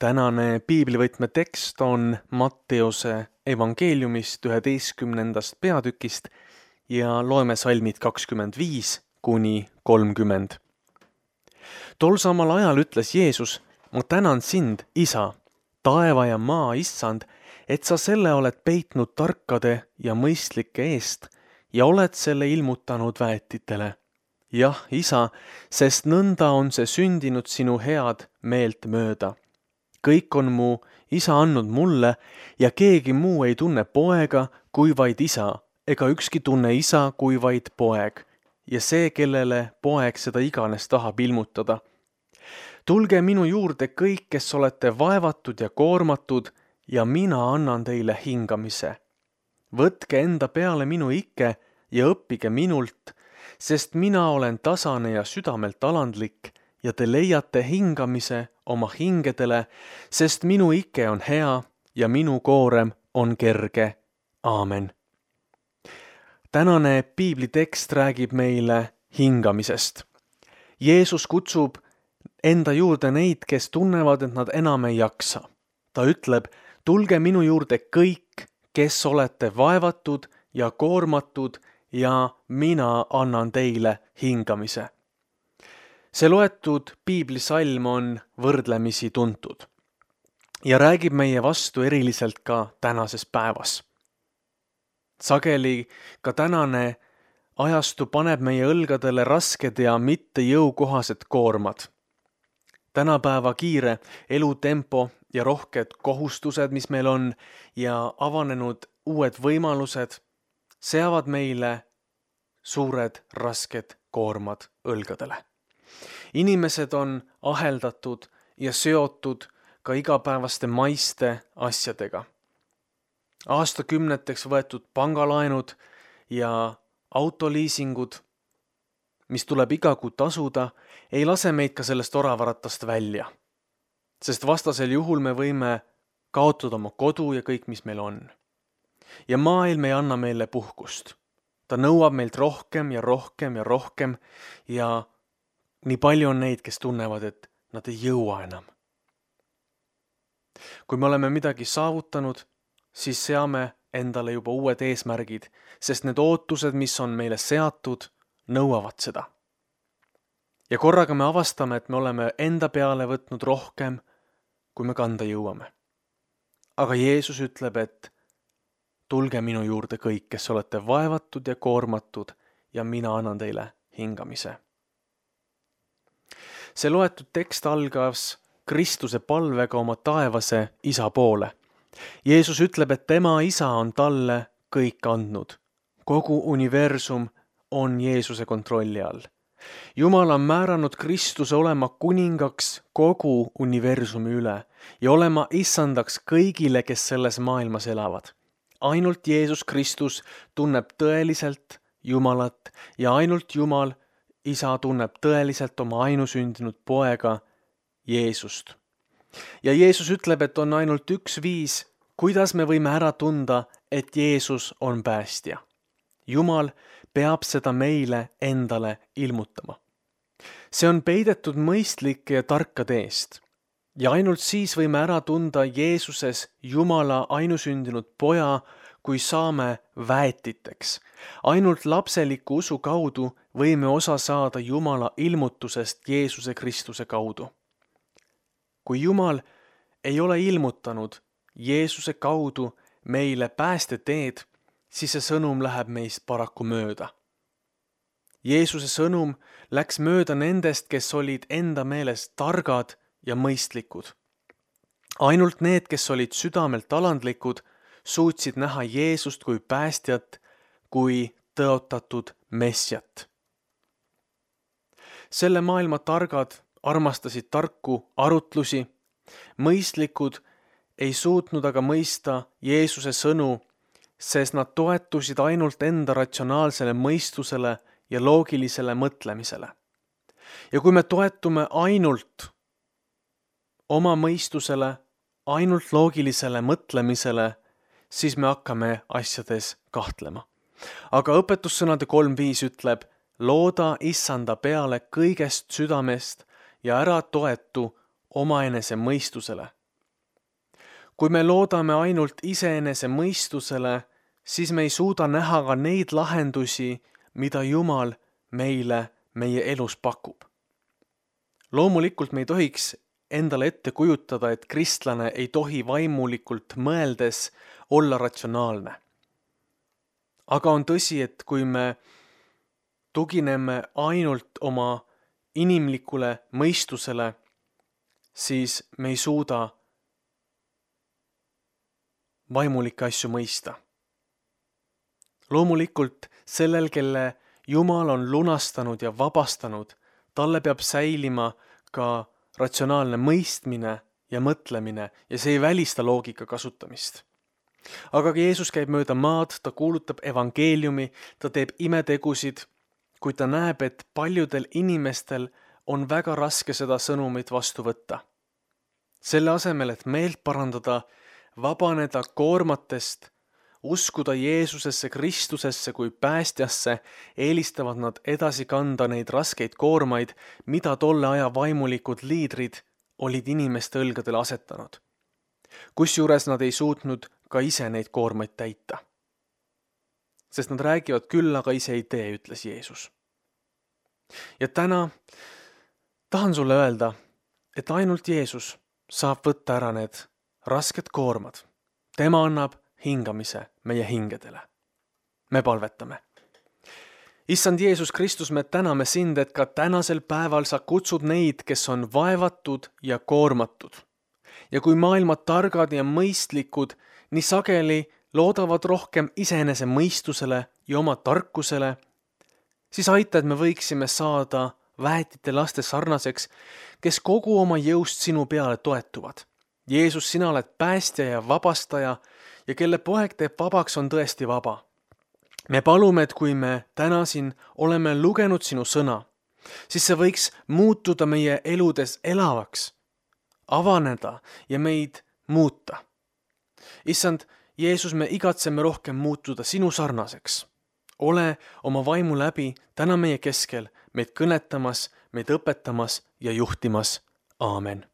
Tänane piiblivõtme tekst on Matteuse evangeeliumist 11. peatükist ja loeme salmid 25–30. Tol samal ajal ütles Jeesus: "Ma tänan sind, Isa, taeva ja maa issand, et sa selle oled peitnud tarkade ja mõistlike eest ja oled selle ilmutanud väetitele. Jah, Isa, sest nõnda on see sündinud sinu head meelt mööda. Kõik on mu Isa andnud mulle ja keegi muu ei tunne poega kui vaid Isa, ega ükski tunne Isa kui vaid poeg, ja see, kellele poeg seda iganes tahab ilmutada. Tulge minu juurde kõik, kes olete vaevatud ja koormatud, ja mina annan teile hingamise. Võtke enda peale minu ikke ja õppige minult, sest mina olen tasane ja südamelt alandlik ja te leiate hingamise oma hingedele, sest minu ikke on hea ja minu koorem on kerge. Aamen. Tänane piiblitekst räägib meile hingamisest. Jeesus kutsub enda juurde neid, kes tunnevad, et nad enam ei jaksa. Ta ütleb: tulge minu juurde kõik, kes olete vaevatud ja koormatud, ja mina annan teile hingamise. See loetud piiblisalm on võrdlemisi tuntud ja räägib meie vastu eriliselt ka tänases päevas. Sageli ka tänane ajastu paneb meie õlgadele rasked ja mitte jõukohased koormad. Tänapäeva kiire elutempo ja rohked kohustused, mis meil on, ja avanenud uued võimalused seavad meile suured rasked koormad õlgadele. Inimesed on aheldatud ja seotud ka igapäevaste maiste asjadega. Aastakümneteks võetud pangalaenud ja autoliisingud, mis tuleb iga kuu tasuda, ei lase meid ka sellest oravaratast välja. Sest vastasel juhul me võime kaotada oma kodu ja kõik, mis meil on. Ja maailm ei anna meile puhkust. Ta nõuab meilt rohkem ja rohkem ja rohkem ja nii palju on neid, kes tunnevad, et nad ei jõua enam. Kui me oleme midagi saavutanud, siis seame endale juba uued eesmärgid, sest need ootused, mis on meile seatud, nõuavad seda. Ja korraga me avastame, et me oleme enda peale võtnud rohkem, kui me kanda jõuame. Aga Jeesus ütleb, et tulge minu juurde kõik, kes olete vaevatud ja koormatud, ja mina annan teile hingamise. See loetud tekst algas Kristuse palvega oma taevase Isa poole. Jeesus ütleb, et tema Isa on talle kõik andnud. Kogu universum on Jeesuse kontrolli all. Jumal on määranud Kristuse olema kuningaks kogu universumi üle ja olema issandaks kõigile, kes selles maailmas elavad. Ainult Jeesus Kristus tunneb tõeliselt Jumalat ja ainult Jumal, Isa, tunneb tõeliselt oma ainusündinud poega Jeesust. Ja Jeesus ütleb, et on ainult üks viis, kuidas me võime ära tunda, et Jeesus on päästja. Jumal peab seda meile endale ilmutama. See on peidetud mõistlike ja tarkade eest. Ja ainult siis võime ära tunda Jeesuses Jumala ainusündinud poja, kui saame väetiteks. Ainult lapseliku usu kaudu võime osa saada Jumala ilmutusest Jeesuse Kristuse kaudu. Kui Jumal ei ole ilmutanud Jeesuse kaudu meile päästeteed, siis see sõnum läheb meist paraku mööda. Jeesuse sõnum läks mööda nendest, kes olid enda meelest targad ja mõistlikud. Ainult need, kes olid südamelt alandlikud, suutsid näha Jeesust kui päästjat, kui tõotatud messiat. Selle maailma targad armastasid tarku arutlusi, mõistlikud ei suutnud aga mõista Jeesuse sõnu, sest nad toetusid ainult enda ratsionaalsele mõistusele ja loogilisele mõtlemisele. Ja kui me toetume ainult oma mõistusele, ainult loogilisele mõtlemisele, siis me hakkame asjades kahtlema. Aga õpetussõnade 3.5 ütleb: looda issanda peale kõigest südamest ja ära toetu omaenese mõistusele, Kui me loodame ainult iseenese mõistusele, siis me ei suuda näha ka neid lahendusi, mida Jumal meile meie elus pakub. Loomulikult me ei tohiks endale ette kujutada, et kristlane ei tohi vaimulikult mõeldes olla ratsionaalne. Aga on tõsi, et kui me tugineme ainult oma inimlikule mõistusele, siis me ei suuda vaimulikke asju mõista. Loomulikult sellel, kelle Jumal on lunastanud ja vabastanud, talle peab säilima ka ratsionaalne mõistmine ja mõtlemine ja see ei välista loogika kasutamist. Aga kui Jeesus käib mööda maad, ta kuulutab evangeeliumi, ta teeb imetegusid, kui ta näeb, et paljudel inimestel on väga raske seda sõnumit vastu võtta. Selle asemel, et meelt parandada, vabaneda koormatest, uskuda Jeesusesse, Kristusesse kui päästjasse, eelistavad nad edasi kanda neid raskeid koormaid, mida tolle aja vaimulikud liidrid olid inimeste õlgadele asetanud. Kusjuures nad ei suutnud ka ise neid koormaid täita. Sest nad räägivad küll, aga ise ei tee, ütles Jeesus. Ja täna tahan sulle öelda, et ainult Jeesus saab võtta ära need rasked koormad. Tema annab hingamise meie hingedele. Me palvetame. Issand Jeesus Kristus, me täname sind, et ka tänasel päeval sa kutsud neid, kes on vaevatud ja koormatud. Ja kui maailma targad ja mõistlikud nii sageli loodavad rohkem iseenese mõistusele ja oma tarkusele, siis aita, et me võiksime saada väetite laste sarnaseks, kes kogu oma jõust sinu peale toetuvad. Jeesus, sina oled päästja ja vabastaja ja kelle poeg teeb vabaks, on tõesti vaba. Me palume, et kui me täna siin oleme lugenud sinu sõna, siis see võiks muutuda meie eludes elavaks, avaneda ja meid muuta. Issand, Jeesus, me igatseme rohkem muutuda sinu sarnaseks. Ole oma vaimu läbi täna meie keskel, meid kõnetamas, meid õpetamas ja juhtimas. Aamen.